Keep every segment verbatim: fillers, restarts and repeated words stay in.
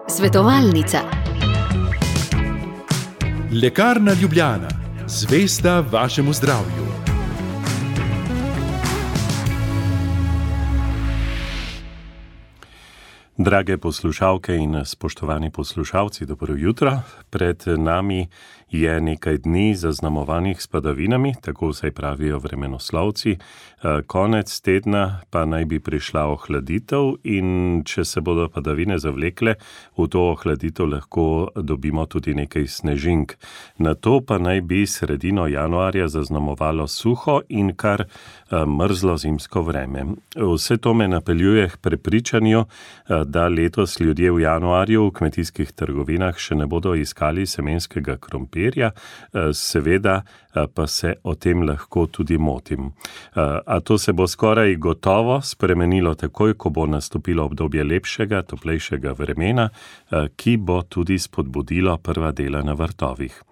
Svetovalnica. Lekarna Ljubljana, zvesta vašemu zdravju. Drage poslušalke in spoštovani poslušalci, dobro jutro. Pred nami je nekaj dni zaznamovanih s padavinami, tako vsaj pravijo vremenoslovci. Konec tedna pa naj bi prišla ohladitev in če se bodo padavine zavlekle, v to ohladitev lahko dobimo tudi nekaj snežink. Na to pa naj bi sredino januarja zaznamovalo suho in kar mrzlo zimsko vreme. Vse to me napeljuje k prepričanju, da letos ljudje v januarju v kmetijskih trgovinah še ne bodo iskali semenskega krompirja, seveda pa se o tem lahko tudi motim. A to se bo skoraj gotovo spremenilo takoj, ko bo nastopilo obdobje lepšega, toplejšega vremena, ki bo tudi spodbudilo prva dela na vrtovih.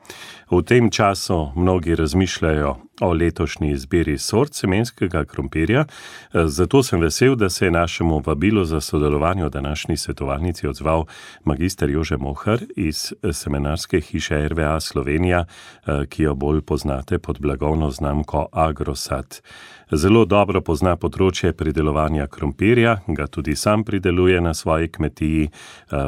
V tem času mnogi razmišljajo o letošnji izbiri sort semenskega krompirja, zato sem vesel, da se je našemu vabilu za sodelovanje v današnji svetovalnici odzval magister Jože Mohar iz semenarske hiše R V A Slovenija, ki jo bolj poznate pod blagovno znamko Agrosad. Zelo dobro pozna področje pridelovanja krompirja, ga tudi sam prideluje na svoji kmetiji,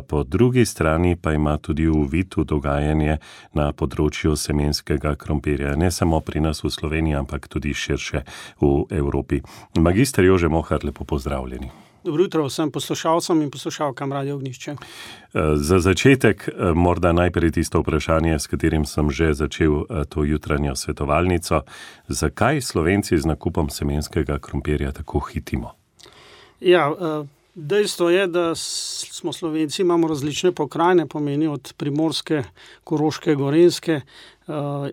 po drugi strani pa ima tudi uvid v dogajanje na področju semenskega krompirja, ne samo pri nas v Sloveniji, ampak tudi širše v Evropi. Magister Jože Mohar, lepo pozdravljeni. Dobro jutro vsem poslušalcem in poslušalkam Radio Ognjišče. Za začetek morda najprej tisto vprašanje, s katerim sem že začel to jutranjo svetovalnico. Zakaj Slovenci z nakupom semenskega krompirja tako hitimo? Ja, dejstvo je, da smo Slovenci, imamo različne pokrajine, pomeni od Primorske, Koroške, Gorenjske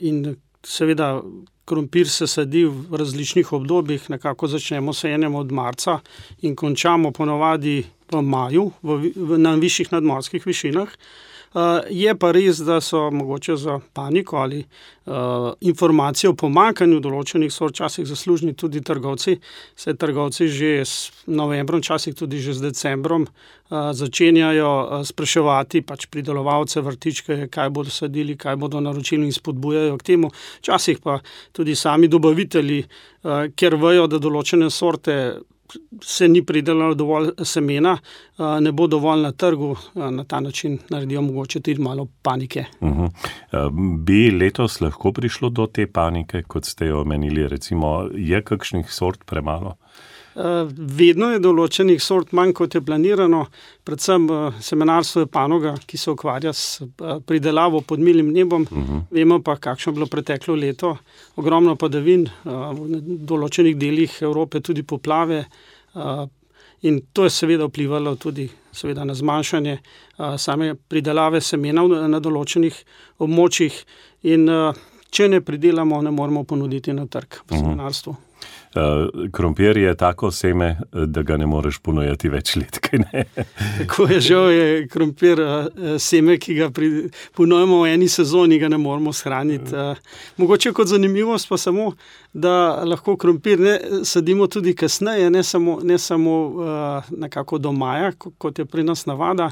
in seveda krompir se sadi v različnih obdobjih, nekako začnemo sajenjem od marca in končamo ponavadi v maju v, v, na višjih nadmorskih višinah. Uh, je pa res, da so mogoče za paniko ali uh, informacije o pomanjkanju določenih sort včasih zaslužni tudi trgovci. Se trgovci že s novembrom, včasih tudi že s decembrom uh, začenjajo uh, spraševati pač pridelovalce vrtičke, kaj bodo sadili, kaj bodo naročili in spodbujajo k temu. Včasih pa tudi sami dobavitelji, uh, ker vejo, da določene sorte se ni pridelalo dovolj semena, ne bo dovolj na trgu, na ta način naredijo mogoče tudi malo panike. Uh-huh. Bi letos lahko prišlo do te panike, kot ste jo omenili, recimo, je kakšnih sort premalo? Vedno je določenih sort manj, kot je planirano, predvsem semenarstvo je panoga, ki se ukvarja s pridelavo pod milim nebom. Uh-huh. Vemo pa, kakšno je bilo preteklo leto, ogromno padavin, v določenih delih Evrope tudi poplave, in to je seveda vplivalo tudi seveda na zmanjšanje same pridelave semena na določenih območjih, in če ne pridelamo, ne moremo ponuditi na trg v semenarstvu. Uh-huh. Krompir je tako seme, da ga ne moreš ponujati več let, kaj ne? Tako je, žal je krompir seme, ki ga pri, ponujemo v eni sezoni, ga ne moremo shraniti. Mogoče kot zanimivost pa samo, da lahko krompir ne sadimo tudi kasneje, ne samo, ne samo nekako do maja, kot je pri nas navada.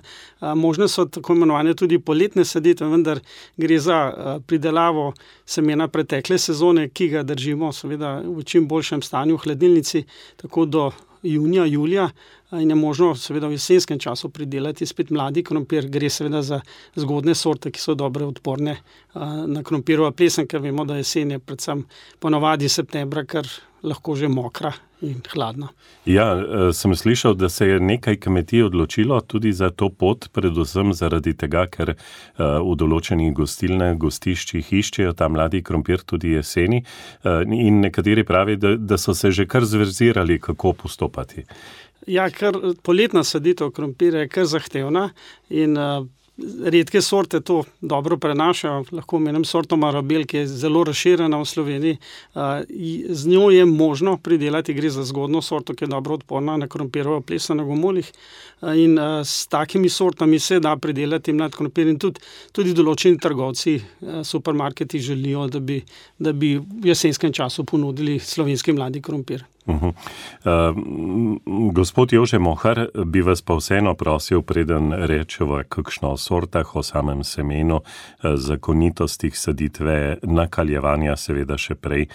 Možne so tako imenovane tudi poletne saditve, vendar gre za pridelavo semena pretekle sezone, ki ga držimo seveda v čim boljšem stanju v hladilnici, tako do junija, julija, in je možno seveda v jesenskem času pridelati spet mladi krompir. Gre seveda za zgodne sorte, ki so dobre odporne na krompirova plesen, ker vemo, da jesen je predvsem ponavadi septembra, ker lahko že mokra in hladna. Ja, sem slišal, da se je nekaj kmetij odločilo tudi za to pot, predvsem zaradi tega, ker v določenih gostilnah, gostiščih iščejo ta mladi krompir tudi jeseni, in nekateri pravi, da, da so se že kar zverzirali, kako postopati. Ja, ker poletna saditev krompirja je kar zahtevna in uh, redke sorte to dobro prenašajo. Lahko omenim sorto Marabel, ki je zelo razširjena v Sloveniji. Uh, z njo je možno pridelati, gre za zgodno sorto, ki je dobro odporna na krompirova plesa na gomolih. Uh, in uh, s takimi sortami se da pridelati mlad krompir in tudi, tudi določeni trgovci, uh, supermarketi želijo, da bi, da bi v jesenskem času ponudili slovenski mladi krompir. Uh-huh. Uh, gospod Jože Mohar, bi vas pa vseeno prosil, preden rečeva kakšno o sortah, o samem semenu, zakonitostih saditve, nakaljevanja seveda še prej,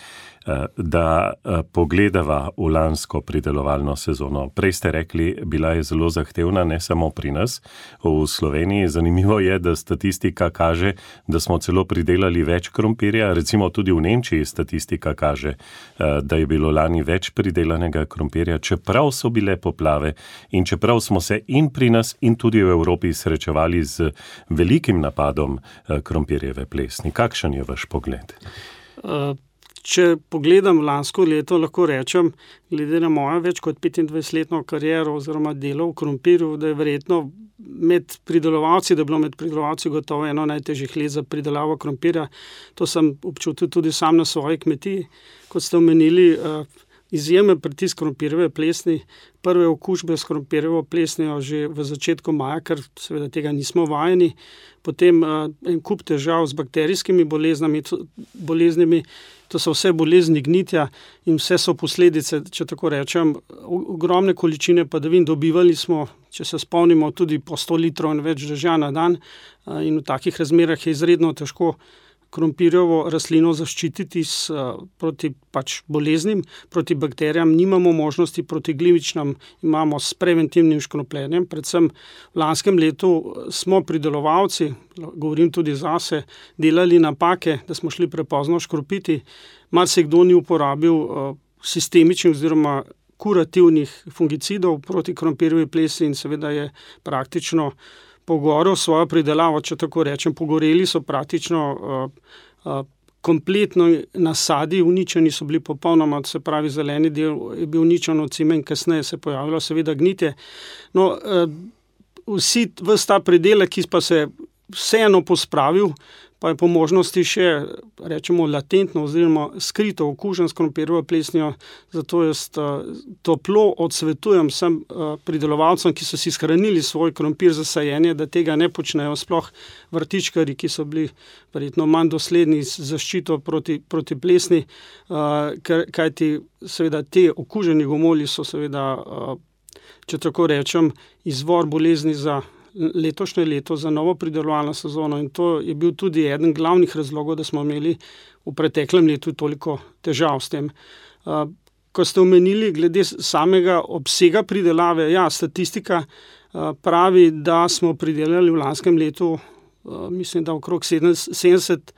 da pogledava v lansko pridelovalno sezono. Prej ste rekli, bila je zelo zahtevna, ne samo pri nas, v Sloveniji. Zanimivo je, da statistika kaže, da smo celo pridelali več krompirja, recimo tudi v Nemčiji statistika kaže, da je bilo lani več pridelanega krompirja, čeprav so bile poplave in čeprav smo se in pri nas in tudi v Evropi srečevali z velikim napadom krompirjeve plesni. Kakšen je vaš pogled? Uh... Če pogledam lansko leto, lahko rečem, glede na mojo več kot petindvajsetletno kariero oziroma delo v krompirju, da je verjetno med pridelovalci, da je bilo med pridelovalci gotovo eno najtežjih let za pridelavo krompirja. To sem občutil tudi sam na svoji kmetiji. Kot ste omenili, izjemen pritisk krompirjeve plesni, prve okužbe s krompirjevo plesnijo že v začetku maja, ker seveda tega nismo vajeni. Potem en kup težav z bakterijskimi boleznami, boleznimi, to so vse bolezni gnitja in vse so posledice, če tako rečem, ogromne količine padavin. Dobivali smo, če se spomnimo, tudi po sto litrov in več dežja na dan in v takih razmerah je izredno težko krompirjevo rastlino zaščititi s, proti pač boleznim, proti bakterijam. Nimamo možnosti, proti glivičnam imamo s preventivnim škropljenjem. Predvsem v lanskem letu smo pridelovalci, govorim tudi zase, delali napake, da smo šli prepozno škropiti. Marsikdo ni uporabil uh, sistemičnih oziroma kurativnih fungicidov proti krompirjevi plesni in seveda je praktično pogorel svojo pridelavo, če tako rečem, pogoreli so praktično uh, uh, kompletno nasadi, uničeni so bili popolnoma, se pravi zeleni del je bil uničen od cime in kasneje se je pojavilo seveda gnitje. No, uh, vsi, ves ta pridelek, ki pa se vseeno pospravil, pa je po možnosti še, rečemo, latentno oziroma skrito okužen s krompirjevo plesnijo, zato jaz uh, toplo odsvetujem vsem uh, pridelovalcem, ki so si shranili svoj krompir za sajenje, da tega ne počnejo, sploh vrtičkarji, ki so bili verjetno manj dosledni z zaščito proti, proti plesni, uh, kajti seveda te okuženi gomolji so seveda, uh, če tako rečem, izvor bolezni za letošnje leto, za novo pridelovalno sezono in to je bil tudi eden glavnih razlogov, da smo imeli v preteklem letu toliko težav s tem. Uh, ko ste omenili glede samega obsega pridelave, ja, statistika uh, pravi, da smo pridelali v lanskem letu, uh, mislim, da okrog sedemdeset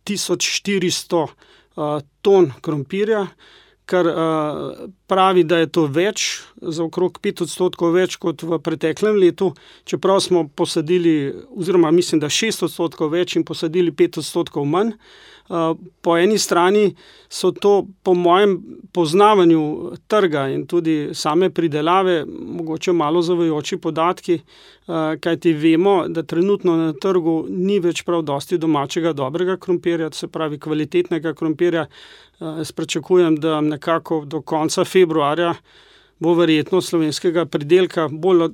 tisoč štiristo uh, ton krompirja, kar uh, pravi, da je to več, za okrog pet odstotkov več kot v preteklem letu, čeprav smo posadili, oziroma mislim, da šest odstotkov več in posadili pet odstotkov manj. Uh, po eni strani so to po mojem poznavanju trga in tudi same pridelave mogoče malo zavajajoči podatki, uh, kajti vemo, da trenutno na trgu ni več prav dosti domačega dobrega krompirja, se pravi kvalitetnega krompirja. Uh, jaz pričakujem, da nekako do konca februarja bo verjetno slovenskega pridelka bolj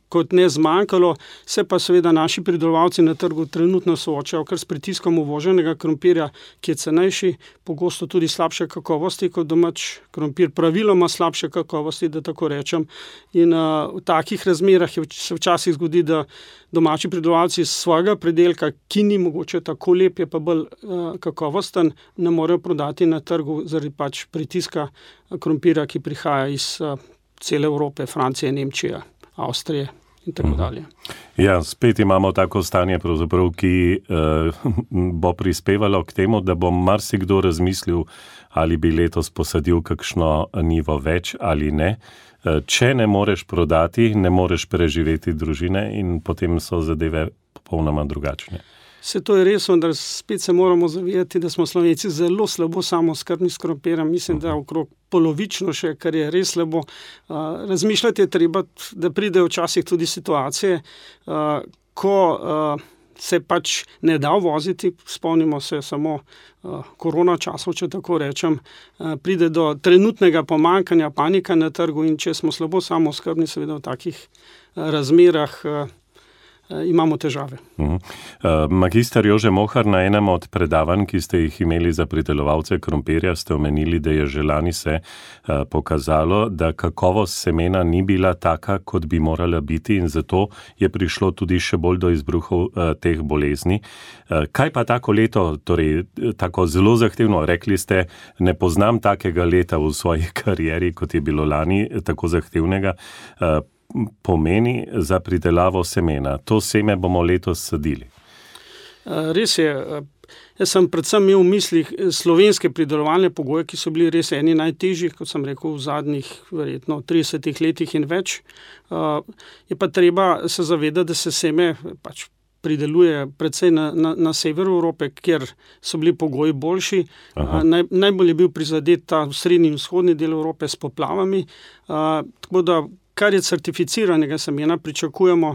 kot ne zmanjkalo, se pa seveda naši pridelovalci na trgu trenutno soočajo kar s pritiskom uvoženega krompirja, ki je cenejši, pogosto tudi slabše kakovosti kot domač krompir, praviloma slabše kakovosti, da tako rečem. In uh, v takih razmerah je, se včasih zgodi, da domači pridelovalci svojega pridelka, ki ni mogoče tako lep, je pa bolj uh, kakovosten, ne morejo prodati na trgu zaradi pač pritiska krompira, ki prihaja iz uh, cele Evrope, Francije, Nemčije, Avstrije in tako dalje. Ja, spet imamo tako stanje, pravzaprav, ki eh, bo prispevalo k temu, da bo marsikdo razmislil, ali bi letos posadil kakšno njivo več ali ne. Eh, če ne moreš prodati, ne moreš preživeti družine in potem so zadeve popolnoma drugačne. Vse to je res, vendar spet se moramo zavedati, da smo Slovenci zelo slabo samooskrbni s krompirjem. Mislim, da okrog polovično še, kar je res slabo. Uh, razmišljati je treba, da pridejo včasih tudi situacije, uh, ko uh, se pač ne da voziti, spomnimo se samo uh, korona časov, če tako rečem, uh, pride do trenutnega pomanjkanja, panika na trgu in če smo slabo samooskrbni, seveda v takih uh, razmerah uh, imamo težave. Uh-huh. Uh, magister Jože Mohar, na enem od predavanj, ki ste jih imeli za pridelovalce krompirja, ste omenili, da je že lani se uh, pokazalo, da kakovost semena ni bila taka, kot bi morala biti in zato je prišlo tudi še bolj do izbruhov uh, teh bolezni. Uh, kaj pa tako leto, torej tako zelo zahtevno, rekli ste, ne poznam takega leta v svoji karieri, kot je bilo lani, tako zahtevnega, uh, pomeni za pridelavo semena. To seme bomo letos sadili. Res je. Jaz sem predvsem imel v mislih slovenske pridelovalne pogoje, ki so bili res eni najtežjih, kot sem rekel, v zadnjih verjetno tridesetih letih in več. Je pa treba se zavedati, da se seme pač prideluje predvsej na, na, na severu Evrope, kjer so bili pogoji boljši. Naj, najbolj je bil prizadet ta srednji in vzhodni del Evrope s poplavami. Tako da kar je certificiranega semena, pričakujemo,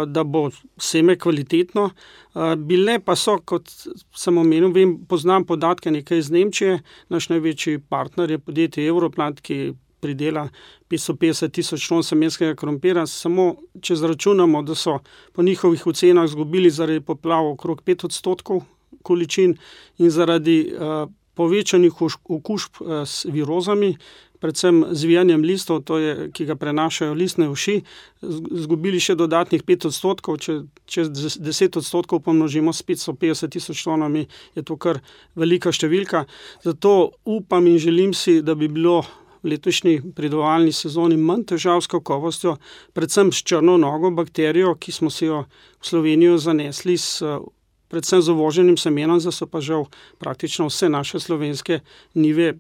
da bo seme kvalitetno. Bile pa so, kot sem omenil, vem, poznam podatke nekaj iz Nemčije, naš največji partner je podjetje Europlant, ki pridela petsto petdeset tisoč ton semenskega krompira. Samo če zračunamo, da so po njihovih ocenah izgubili zaradi poplav okrog pet odstotkov količin in zaradi uh, povečanih okužb uh, s virozami, predvsem zvijanjem listov, to je, ki ga prenašajo listne uši, izgubili še dodatnih pet odstotkov, če, če deset odstotkov pomnožimo s petsto petdeset tisoč tonami, je to kar velika številka. Zato upam in želim si, da bi bilo v letošnji pridelovalni sezoni manj težav s kakovostjo, predvsem s črno nogo bakterijo, ki smo si jo v Slovenijo zanesli s predvsem z uvoženim semenom, zdaj so pa žal praktično vse naše slovenske njive,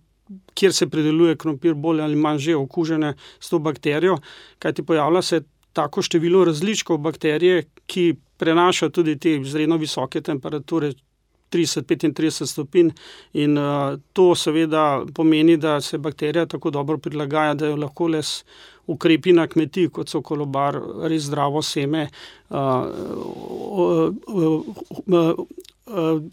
kjer se prideluje krompir, bolj ali manj že okužene s to bakterijo, kajti pojavlja se tako število različkov bakterije, ki prenaša tudi te izredno visoke temperature, trideset do petintrideset stopinj, in uh, to seveda pomeni, da se bakterija tako dobro prilagaja, da jo lahko le s ukrepi na kmetiji, kot so kolobar, res zdravo seme, uh, uh, uh, uh,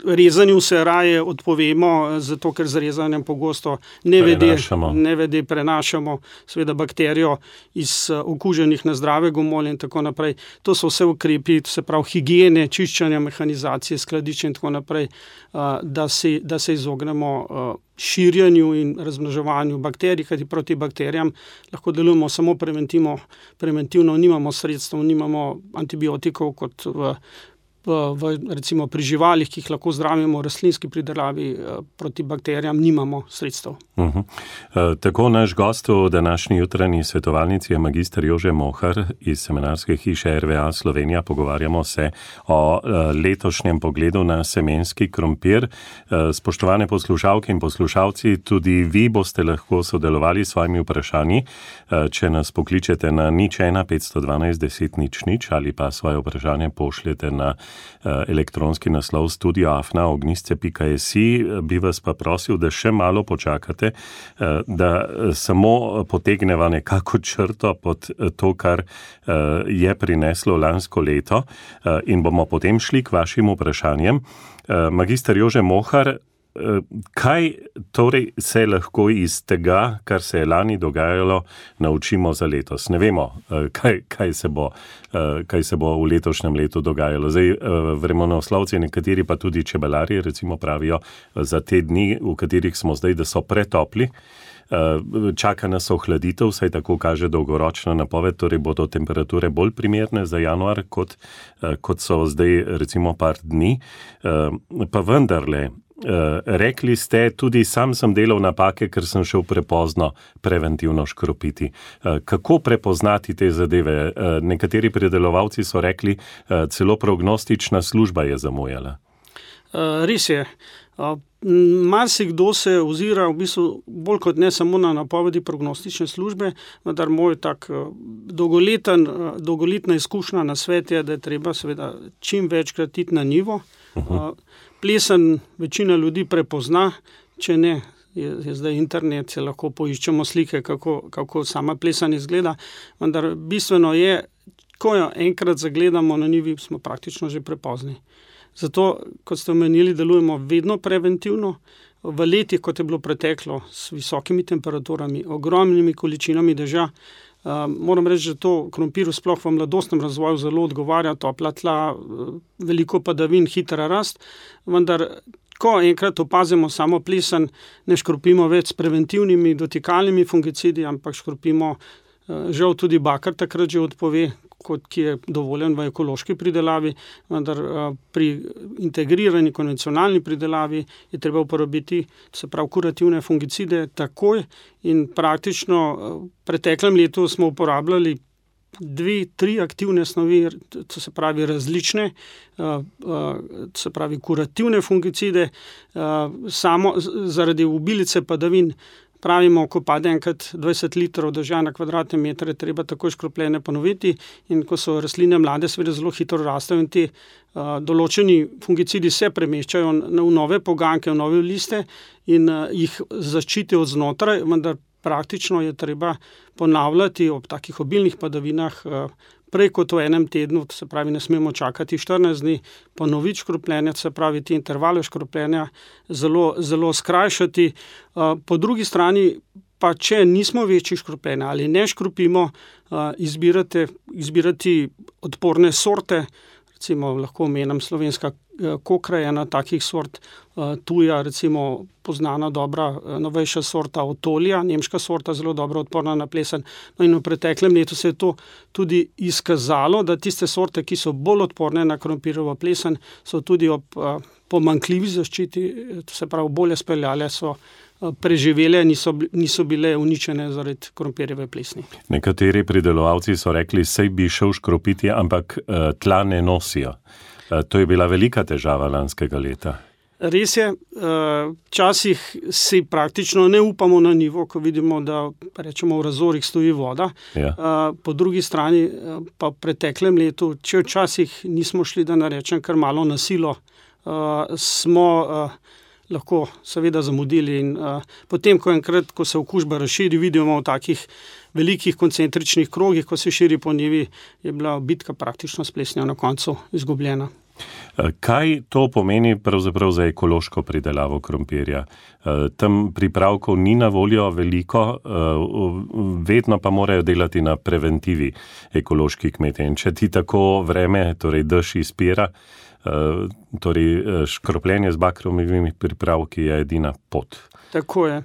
rezanju se raje odpovemo, zato ker z rezanjem pogosto nevede prenašamo, nevede prenašamo seveda bakterijo iz okuženih na zdrave gomolje in tako naprej. To so vse ukrepi, se pravi higiene, čiščenja, mehanizacije, skladišča in tako naprej, da se, da se izognemo širjenju in razmnoževanju bakterij, kajti proti bakterijam lahko delujemo samo preventivno, preventivno nimamo sredstev, nimamo antibiotikov kot v V, v, recimo pri živalih, ki jih lahko zdravimo v rastlinski pridelavi, proti bakterijam nimamo sredstev. Uh-huh. E, tako naš gost v današnji jutranji svetovalnici je magister Jože Mohar iz semenarske hiše R V A Slovenija. Pogovarjamo se o e, letošnjem pogledu na semenski krompir. E, spoštovane poslušalke in poslušalci, tudi vi boste lahko sodelovali s svojimi vprašanji, e, če nas pokličete na nič ena petsto dvanajst deset nič nič ali pa svoje vprašanje pošljete na elektronski naslov studio afna ognjisce pika si, bi vas pa prosil, da še malo počakate, da samo potegneva nekako črto pod to, kar je prineslo lansko leto, in bomo potem šli k vašim vprašanjem. Magister Jože Mohar, kaj torej se lahko iz tega, kar se je lani dogajalo, naučimo za letos? Ne vemo, kaj, kaj, se bo, kaj se bo v letošnjem letu dogajalo. Zdaj, vremenoslovci, nekateri pa tudi čebelari, recimo pravijo za te dni, v katerih smo zdaj, da so pretopli. Čaka nas ohladitev, saj tako kaže dolgoročna napoved, torej bodo temperature bolj primerne za januar, kot, kot so zdaj recimo par dni. Pa vendarle, rekli ste, tudi sam sem delal napake, ker sem šel prepozno preventivno škropiti. Kako prepoznati te zadeve? Nekateri pridelovalci so rekli, celo prognostična služba je zamujala. Res je. Marsikdo se ozira v bistvu bolj kot ne samo na napovedi prognostične službe, vendar moj tak dolgoleten, dolgoletna izkušnja na svet je, da je treba seveda čim večkrat iti na njivo. Uh-huh. Plesen večina ljudi prepozna, če ne, je, je zdaj internet, se lahko poiščemo slike, kako, kako sama plesen izgleda, vendar bistveno je, ko jo enkrat zagledamo na njivi, smo praktično že prepozni. Zato, kot ste omenili, delujemo vedno preventivno. V letih, kot je bilo preteklo, s visokimi temperaturami, ogromnimi količinami dežja, Moram reči, da to krompirju sploh v mladostnem razvoju zelo odgovarja, topla tla, veliko padavin, hitra rast, vendar ko enkrat opazimo samo plesen, ne škropimo več s preventivnimi dotikalnimi fungicidi, ampak škropimo, žal tudi bakar takrat že odpove, kot ki je dovoljen v ekološki pridelavi, vendar pri integrirani konvencionalni pridelavi je treba uporabiti, se pravi, kurativne fungicide takoj in praktično v preteklem letu smo uporabljali dve, tri aktivne snovi, to se pravi različne, se pravi kurativne fungicide, samo zaradi obilice padavin. Pravimo, ko pade enkrat dvajset litrov dežja na kvadratne metre, je treba takoj škropljenje ponoviti in ko so rastline mlade, seveda zelo hitro rastejo in ti uh, določeni fungicidi se premeščajo v nove poganke, v nove liste in uh, jih zaščitijo od znotraj, vendar praktično je treba ponavljati ob takih obilnih padavinah uh, prej kot v enem tednu, se pravi, ne smemo čakati štirinajst dni, ponoviti škropljenje, se pravi, ti intervale škropljenja zelo, zelo skrajšati. Po drugi strani pa, če nismo večji škropljenja ali ne škropimo, izbirate, izbirati odporne sorte, recimo lahko omenim slovenska kokra je ena takih sort, tuja, recimo poznana dobra novejša sorta otolja, nemška sorta, zelo dobro odporna na plesen. No in v preteklem letu se je to tudi izkazalo, da tiste sorte, ki so bolj odporne na krompirjevo plesen, so tudi ob pomanjkljivi zaščiti, se pravi bolje speljale, so preživele, niso, niso bile uničene zaradi krompirjeve plesni. Nekateri pridelovalci so rekli, sej bi šel škropiti, ampak tla ne nosijo. To je bila velika težava lanskega leta. Res je, včasih si praktično ne upamo na nivo, ko vidimo, da rečemo v razorih stoji voda. Ja. Po drugi strani pa v preteklem letu, če včasih nismo šli, da narečem kar malo na silo, smo lahko seveda zamudili in potem, ko enkrat, ko se okužba razširi, vidimo v takih velikih koncentričnih krogih, ko se širi po njivi, je bila bitka praktično s plesnjo na koncu izgubljena. Kaj to pomeni pravzaprav za ekološko pridelavo krompirja? Tam pripravkov ni na voljo veliko, vedno pa morajo delati na preventivi ekološki kmetje. In če ti tako vreme, torej dež izpira, torej škropljenje z bakrovimi pripravki je edina pot. Tako je.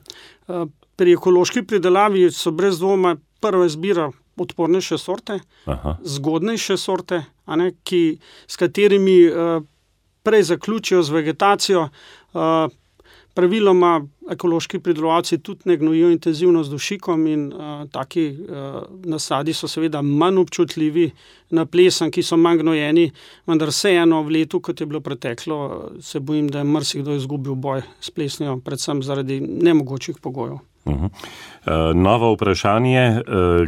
Pri ekološki pridelavi so brez dvoma prva izbira odpornejše sorte, Aha. zgodnejše sorte, a ne, ki, s katerimi uh, prej zaključijo z vegetacijo. Uh, praviloma ekološki pridelovalci tudi ne gnojijo intenzivno z dušikom in uh, taki uh, nasadi so seveda manj občutljivi na plesen, ki so manj gnojeni, vendar vseeno v letu, kot je bilo preteklo, se bojim, da je marsikdo izgubil boj s plesnijo, predvsem zaradi nemogočih pogojev. Uh-huh. Novo vprašanje,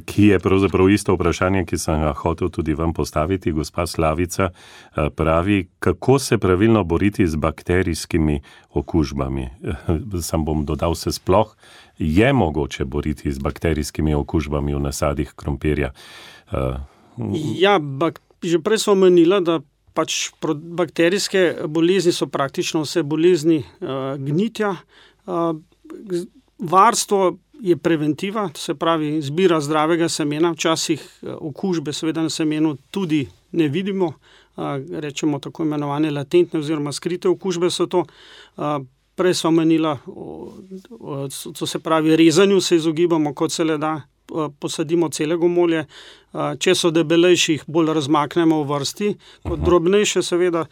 ki je pravzaprav isto vprašanje, ki sem ga hotel tudi vam postaviti, gospa Slavica pravi, kako se pravilno boriti z bakterijskimi okužbami. Sam bom dodal, se sploh je mogoče boriti z bakterijskimi okužbami v nasadih krompirja. Ja, bak, že prej smo omenila, da pač bakterijske bolezni so praktično vse bolezni uh, gnitja. Uh, Varstvo je preventiva, to se pravi izbira zdravega semena, včasih okužbe seveda na semenu tudi ne vidimo, rečemo tako imenovane latentne oziroma skrite okužbe so to. Prej sva menila, to se pravi rezanju se izogibamo, kot se le da, posadimo celega molje, če so debelejši, jih bolj razmaknemo v vrsti, kot drobnejše seveda.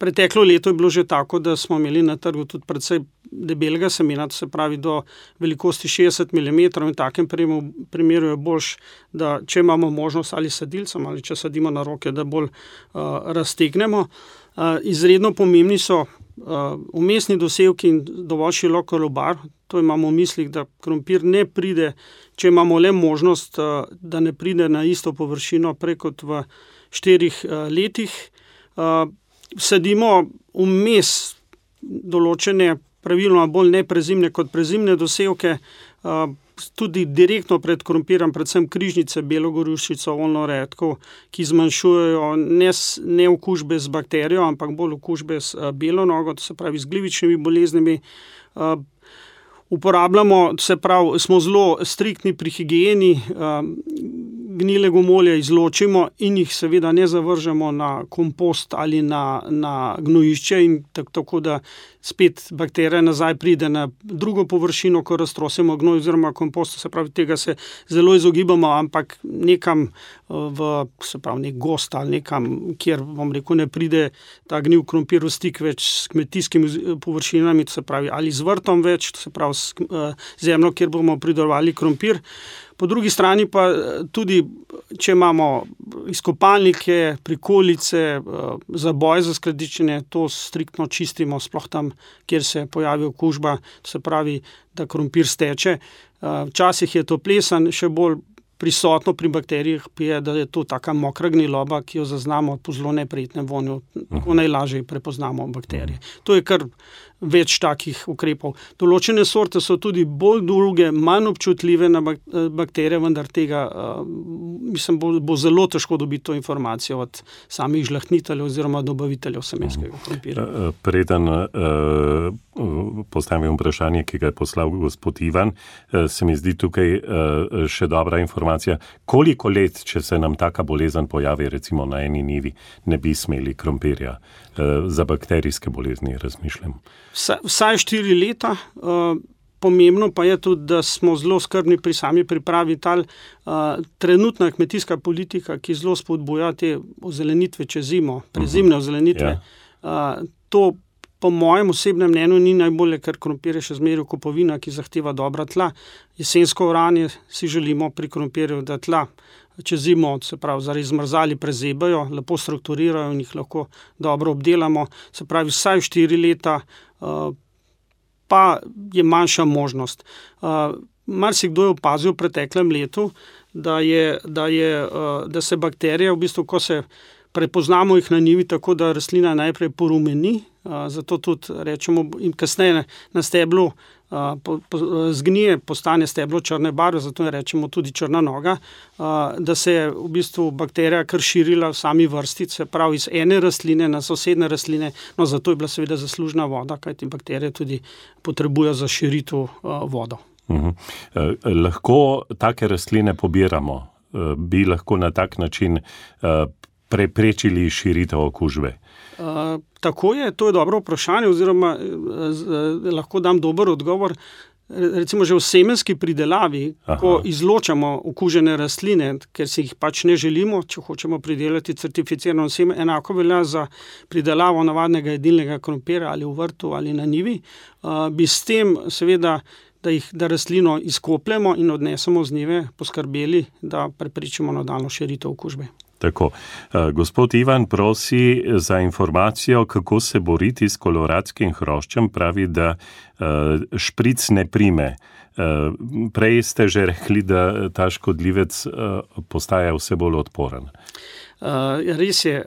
Preteklo leto je bilo že tako, da smo imeli na trgu tudi precej debelega semena, to se pravi do velikosti šestdeset milimetrov in v takem primeru je boljš, da če imamo možnost ali sadilcem ali če sadimo na roke, da bolj uh, raztegnemo. Uh, izredno pomembni so vmesni uh, dosevki in dovolj širok lobar. To imamo v mislih, da krompir ne pride, če imamo le možnost, uh, da ne pride na isto površino prej kot v štirih uh, letih. Uh, Sadimo vmes določene praviloma bolj neprezimne kot prezimne dosevke, tudi direktno pred krompirjem, predvsem križnice, belogorušico, oljno redkev, ki zmanjšujejo ne, ne okužbe z bakterijo, ampak bolj okužbe z belo nogo, to se pravi z glivičnimi boleznimi. uporabljamo, se pravi, smo zelo striktni pri higieni, gnile gomolje izločimo in jih seveda ne zavržemo na kompost ali na, na gnojišče in tako, tako da spet bakterija nazaj pride na drugo površino, ko raztrosimo gnoj oziroma kompost, se pravi, tega se zelo izogibamo, ampak nekam v, se pravi, nek gost ali nekam, kjer, bom rekel, ne pride ta gnil krompir v stik več s kmetijskimi površinami, se pravi, ali z vrtom več, se pravi, s zemljo, kjer bomo pridelovali krompir. Po drugi strani pa tudi, če imamo izkopalnike, prikolice, zaboj za skladiščenje, to striktno čistimo, sploh tam, kjer se pojavi okužba, se pravi, da krompir steče. Včasih je to plesen, še bolj prisotno pri bakterijah je, da je to taka mokra gniloba, ki jo zaznamo po zelo neprijetnem vonju, tako najlažje prepoznamo bakterije. To je kar več takih ukrepov. Določene sorte so tudi bolj druge, manj občutljive na bakterije, vendar tega, mislim, bo, bo zelo težko dobiti to informacijo od samih žlahtniteljev oziroma dobaviteljev semenskega krompirja. Preden uh, postavim vprašanje, ki ga je poslal gospod Ivan, uh, se mi zdi tukaj uh, še dobra informacija. Koliko let, če se nam taka bolezen pojavi, recimo na eni njivi, ne bi smeli krompirja? Uh, za bakterijske bolezni razmišljam. Vsaj štiri leta. Pomembno pa je tudi, da smo zelo skrbni pri sami pripravi tal. Trenutna kmetijska politika, ki zelo spodbuja te ozelenitve čez zimo, prezimne ozelenitve, yeah. To po mojem osebnem mnenju ni najbolje, ker krompir je še zmeraj kopovina, ki zahteva dobra tla. Jesensko oranje si želimo pri krompirju, da tla čez zimo, se pravi, zaradi zmrzali prezebajo, lepo strukturirajo in jih lahko dobro obdelamo. Se pravi, vsaj štiri leta pa je manjša možnost. Marsikdo je opazil v preteklem letu, da, je, da, je, da se bakterije, v bistvu, ko se prepoznamo jih na njivi, tako da rastlina najprej porumeni, zato tudi rečemo, in kasneje na steblu po, po, zgnije, postane steblo črne barve, zato rečemo tudi črna noga, da se je v bistvu bakterija kar širila v sami vrsti, se pravi iz ene rastline na sosedne rastline, no zato je bila seveda zaslužna voda, kajti bakterije tudi potrebujejo za širitev vodo. Uhum. Eh, lahko take rastline pobiramo, eh, bi lahko na tak način eh, preprečili širitev okužbe? Uh, tako je, to je dobro vprašanje, oziroma uh, uh, lahko dam dober odgovor. Recimo že v semenski pridelavi, Aha. ko izločamo okužene rastline, ker si jih pač ne želimo, če hočemo pridelati certificirano seme, enako velja za pridelavo navadnega jedilnega krompirja ali v vrtu ali na njivi, uh, bi s tem seveda, da, jih, da rastlino izkopljemo in odnesemo z njive, poskrbeli, da preprečimo nadaljnjo širitev okužbe. Tako. Gospod Ivan prosi za informacijo, kako se boriti s koloradskim hroščem, pravi, da špric ne prime. Prej ste že rekli, da ta škodljivec postaja vse bolj odporen. Res je.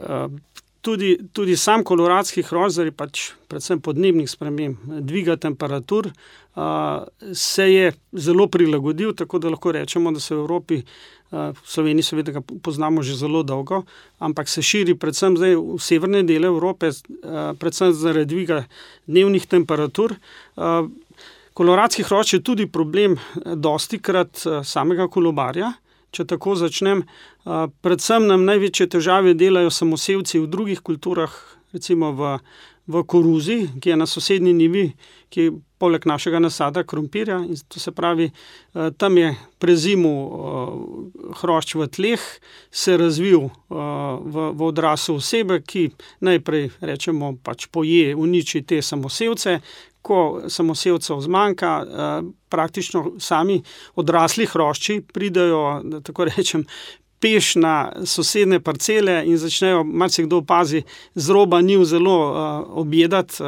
Tudi, tudi sam koloradski hrošč, zaradi pač predvsem podnebnih sprememb, dviga temperatur, se je zelo prilagodil, tako da lahko rečemo, da se v Evropi, v Sloveniji seveda ga poznamo že zelo dolgo, ampak se širi predvsem zdaj v severne dele Evrope, predvsem zaradi dviga dnevnih temperatur. Koloradski hrošč je tudi problem dostikrat samega kolobarja. Če tako začnem, predvsem nam največje težave delajo samosevci v drugih kulturah, recimo v, v koruzi, ki je na sosednji njivi, ki je poleg našega nasada krompirja, in to se pravi, tam je prezimil hrošč v tleh, se razvil v, v odrasel osebe, ki najprej, rečemo, pač poje, uniči te samosevce. Ko samosevcev zmanjka, praktično sami odrasli hrošči pridejo, da tako rečem, peš na sosedne parcele in začnejo, marsikdo opazi, z roba njiv zelo objedati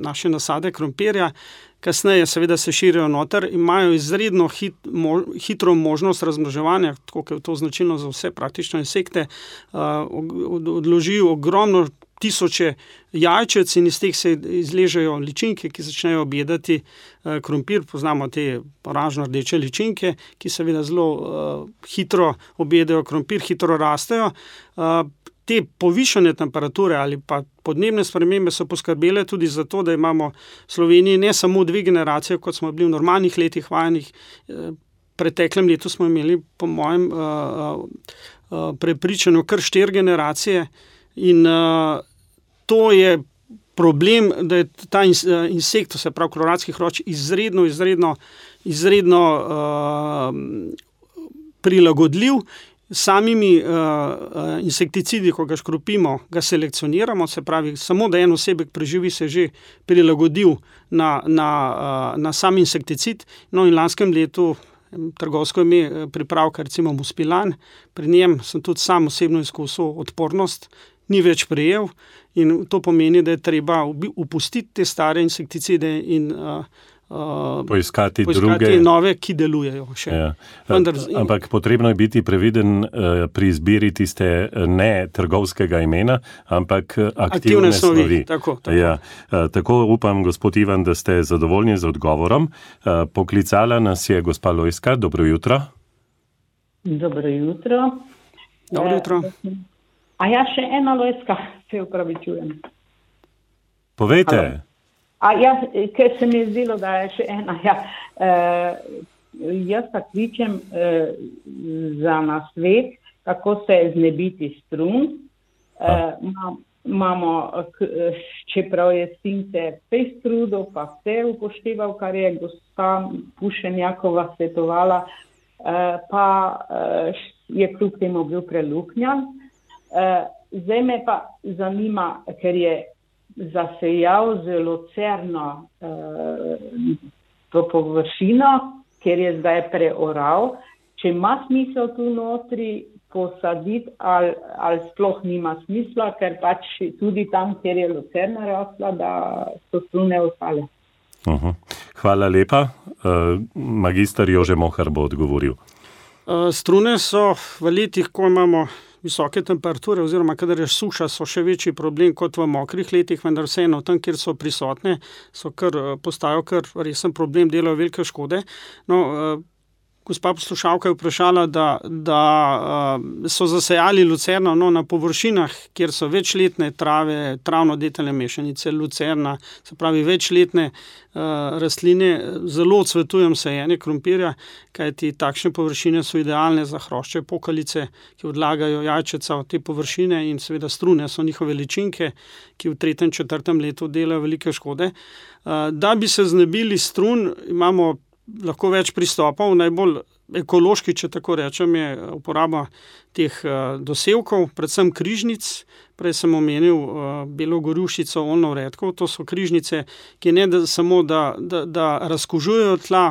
naše nasade krompirja. Kasneje seveda se širijo noter in imajo izredno hit, mo, hitro možnost razmnoževanja, tako je to značilno za vse praktično insekte, odložijo ogromno tisoče jajčec in iz teh se izležejo ličinke, ki začnejo objedati uh, krompir. Poznamo te oranžno-rdeče ličinke, ki seveda zelo uh, hitro objedajo krompir, hitro rastejo. Uh, te povišane temperature ali pa podnebne spremembe so poskrbele tudi za to, da imamo v Sloveniji ne samo dve generacije, kot smo bili v normalnih letih vajenih. Preteklem letu smo imeli, po mojem uh, uh, prepričanju, kar štiri generacije in uh, to je problem, da je ta insekt, se pravi koloradski hrošč, izredno, izredno, izredno uh, prilagodljiv. Samimi uh, insekticidi, ko ga škropimo, ga selekcioniramo, se pravi, samo da en osebek preživi, se že prilagodil na, na, uh, na sam insekticid. No in lanskem letu trgovsko ime pripravka, recimo Muspilan, pri njem sem tudi sam osebno izkusil odpornost, ni več prejel in to pomeni, da je treba upustiti te stare insekticide in uh, uh, poiskati, poiskati druge nove, ki delujejo še. Ja. Vendar, Ampak potrebno je biti previden uh, pri izbiri tiste ne trgovskega imena, ampak aktivne, aktivne snovi. snovi. Tako, tako. Ja. Uh, tako upam, gospod Ivan, da ste zadovoljni z odgovorom. Uh, poklicala nas je gospa Lojska. Dobro jutro. Dobro jutro. Dobro jutro. Uh, A ja, še ena Lojska, se upravičujem. Povejte. Halo. A ja, ker se mi je zdelo, da je še ena. Ja. E, jaz pa kličem e, za nasvet, kako se znebiti strun. E, ma, imamo, čeprav je since pej strudov, pa vse upošteval, kar je gospa Pušenjakova svetovala, e, pa e, je kljub temu bil preluknjan. Uh, zdaj me pa zanima, ker je zasejal zelo cerno uh, to površino, ker je zdaj preoral, če ima smisel tu notri posaditi ali, ali sploh nima smisla, ker pač tudi tam, kjer je lucerna rasla, da so strune ostale. Uh-huh. Hvala lepa. Uh, magister Jože Mohar bo odgovoril. Uh, strune so v letih, ko imamo visoke temperature oziroma kadar je suša, so še večji problem kot v mokrih letih, vendar vseeno tam, kjer so prisotne, so kar, postajajo kar resen problem, delajo velike škode. No, gospa poslušalka je vprašala, da, da so zasejali lucerno, no, na površinah, kjer so večletne trave, travno-detelne mešanice, lucerna, se pravi večletne uh, rastline, zelo odsvetujem sajenje krompirja, kajti takšne površine so idealne za hrošče pokalice, ki odlagajo jajčeca od te površine in seveda strune so njihove ličinke, ki v tretjem, četrtem letu delajo velike škode. Uh, da bi se znebili strun, imamo lahko več pristopov, najbolj ekološki, če tako rečem, je uporaba teh uh, dosevkov, predvsem križnic. Prej sem omenil uh, belo gorušico, oljno redkev. To so križnice, ki ne da samo, da, da, da razkužujejo tla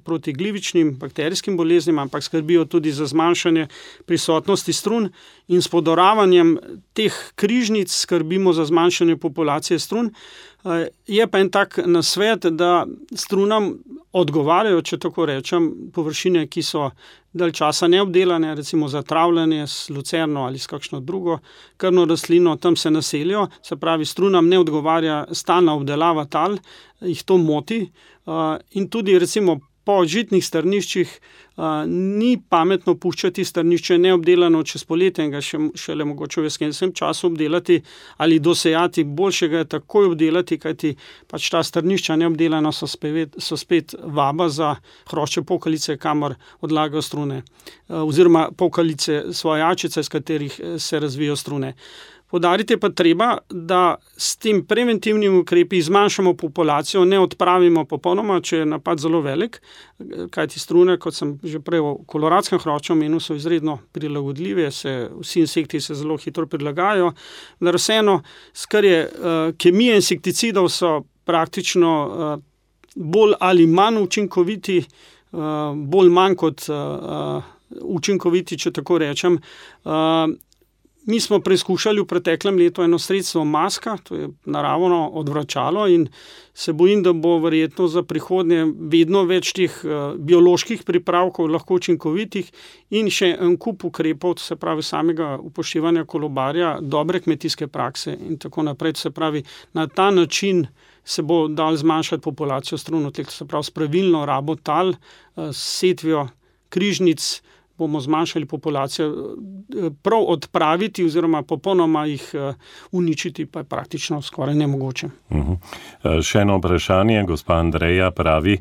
proti glivičnim bakterijskim boleznim, ampak skrbijo tudi za zmanjšanje prisotnosti strun in s podoravanjem teh križnic skrbimo za zmanjšanje populacije strun. Uh, je pa en tak nasvet, da strunam odgovarjajo, če tako rečem, površine, ki so dalj časa neobdelane, recimo za travljanje s lucerno ali s kakšno drugo krvno rastlino, tam se naselijo, se pravi, strunam ne odgovarja stalna obdelava tal, jih to moti uh, in tudi recimo po žitnih strniščih uh, ni pametno puščati strnišče neobdelano čez poletje in ga še, šele mogoče v jesenskem času obdelati ali dosejati, boljše ga je takoj obdelati, kajti pač ta strnišča neobdelana so spet, so spet vaba za hrošče pokalice, kamor odlagajo strune, uh, oziroma pokalice svoje jajčice, iz katerih se razvijajo strune. Poudariti pa treba, da s tem preventivnim ukrepi zmanjšamo populacijo, ne odpravimo popolnoma, če je napad zelo velik, kajti strune, kot sem že prej v koloradskem hrošču omenil, so izredno prilagodljive, se, vsi insekti se zelo hitro prilagajajo, da vseeno, skar je uh, kemija insekticidov so praktično uh, bolj ali manj učinkoviti, uh, bolj manj kot uh, učinkoviti, če tako rečem. Uh, Mi smo preizkušali v preteklem letu eno sredstvo maska, to je naravno odvračalo in se bojim, da bo verjetno za prihodnje vedno več teh uh, bioloških pripravkov lahko učinkovitih in še en kup ukrepov, se pravi samega upoštevanja kolobarja, dobre kmetijske prakse in tako naprej. Se pravi, na ta način se bo dal zmanjšati populacijo strun, se pravi s pravilno rabo tal, uh, s setvijo križnic, bomo zmanjšali populacijo, prav odpraviti oziroma popolnoma jih uničiti, pa je praktično skoraj nemogoče. Uh-huh. Še eno vprašanje, gospa Andreja pravi,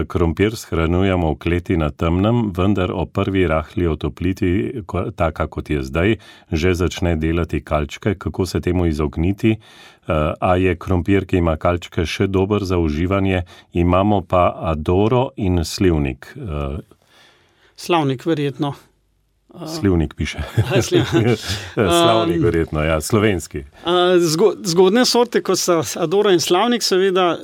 krompir shranjujemo v kleti na temnem, vendar o prvi rahli otopliti, taka kot je zdaj, že začne delati kalčke. Kako se temu izogniti? A je krompir, ki ima kalčke, še dober za uživanje? Imamo pa adoro in slivnik. Slavnik verjetno. Slivnik piše. Slavnik verjetno, ja, slovenski. Zgodne sorte, kot so adora in slavnik, seveda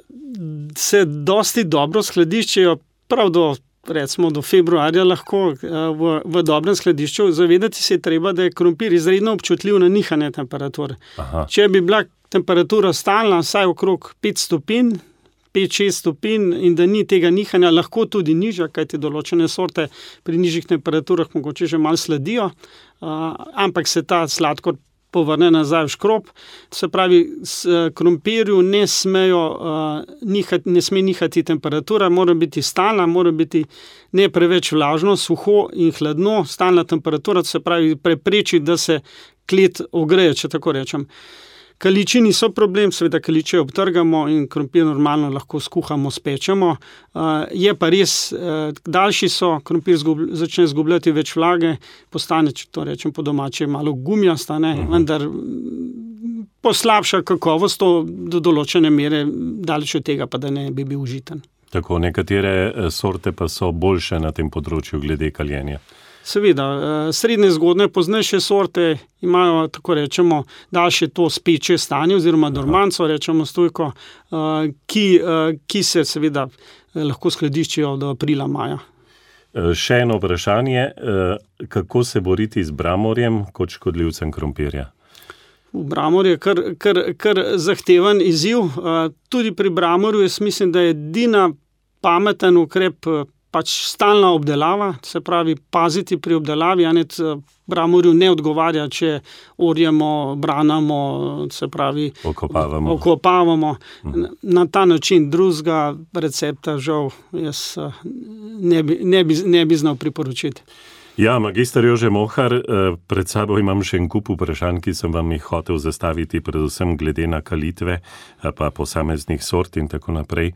se dosti dobro skladiščijo, prav do, recimo, do februarja lahko v, v dobrem skladišču. Zavedati se je treba, da je krompir izredno občutljiv na nihanje temperature. Aha. Če bi bila temperatura stalna, vsaj okrog pet stopinj, pet šest stopinj in da ni tega nihanja, lahko tudi nižja, kajti določene sorte pri nižjih temperaturah mogoče že malo sladijo, uh, ampak se ta sladkor povrne nazaj v škrob. Se pravi, s krompirju ne smejo uh, nihati, ne sme nihati temperatura, mora biti stalna, mora biti ne preveč vlažno, suho in hladno. Stalna temperatura, se pravi, prepreči, da se klet ogreje, če tako rečem. Kaliči niso problem, seveda kaliče obtrgamo in krompir normalno lahko skuhamo, spečemo. Uh, je pa res, uh, daljši so, krompir zgub, začne zgubljati več vlage, postane, če to rečem po domače, malo gumijasta, ne, uh-huh. vendar poslabša kakovost do določene mere, daleč od tega pa, da ne bi bil užiten. Tako, nekatere sorte pa so boljše na tem področju glede kaljenja. Seveda, srednje zgodne poznejše sorte imajo, tako rečemo, daljše to speče stanje oziroma dormanco, rečemo stojko, ki, ki se seveda lahko skladiščijo do aprila, maja. Še eno vprašanje, kako se boriti z bramorjem kot škodljivcem krompirja? Bramor je kar, kar, kar zahteven izziv. Tudi pri bramorju jaz mislim, da je edina pameten ukrep pač stalna obdelava, se pravi paziti pri obdelavi, a ne bramorju ne odgovarja, če orjemo, branamo, se pravi okopavamo. okopavamo. Hmm. Na ta način drugega recepta žal jaz ne bi, ne bi, ne bi znal priporočiti. Ja, magister Jože Mohar, pred sabo imam še en kup vprašanj, ki sem vam jih hotel zastaviti, predvsem glede na kalitve, pa posameznih sort in tako naprej.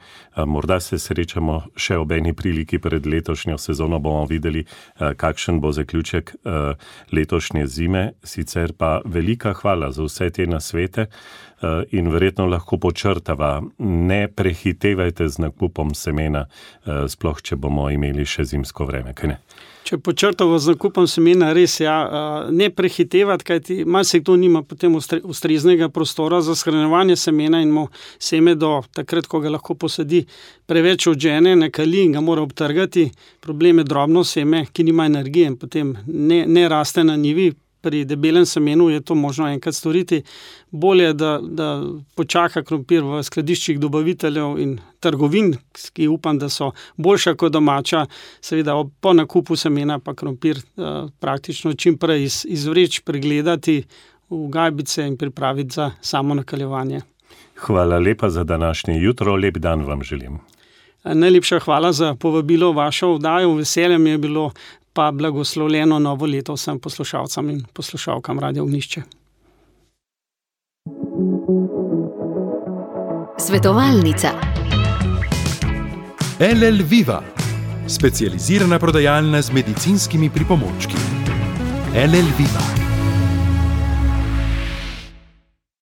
Morda se srečamo še ob eni priliki pred letošnjo sezono, bomo videli, kakšen bo zaključek letošnje zime. Sicer pa velika hvala za vse te nasvete in verjetno lahko počrtava, ne prehitevajte z nakupom semena, sploh če bomo imeli še zimsko vreme, kaj ne? Če počrtamo z nakupom semena, res ja, ne prehitevati, kajti marsikdo nima potem ustreznega prostora za shranjevanje semena in mu seme do takrat, ko ga lahko posadi, preveč odžene, ne kali in ga mora obtrgati. Problem je drobno seme, ki nima energije in potem ne, ne raste na njivi. Pri debelem semenu je to možno enkrat storiti. Bolje, da, da počaka krompir v skladiščih dobaviteljev in trgovin, ki upam, da so boljša kot domača. Seveda po nakupu semena pa krompir uh, praktično čim prej iz, izvreč, pregledati v gajbice in pripraviti za samo nakaljevanje. Hvala lepa za današnje jutro, lep dan vam želim. Najlepša hvala za povabilo vašo vdajo, veselje mi je bilo, pa blagoslovljeno novo leto vsem poslušalcem in poslušalkam Radio Ognjišče. Svetovalnica. L L Viva, specializirana prodajalna z medicinskimi pripomočki. L L Viva.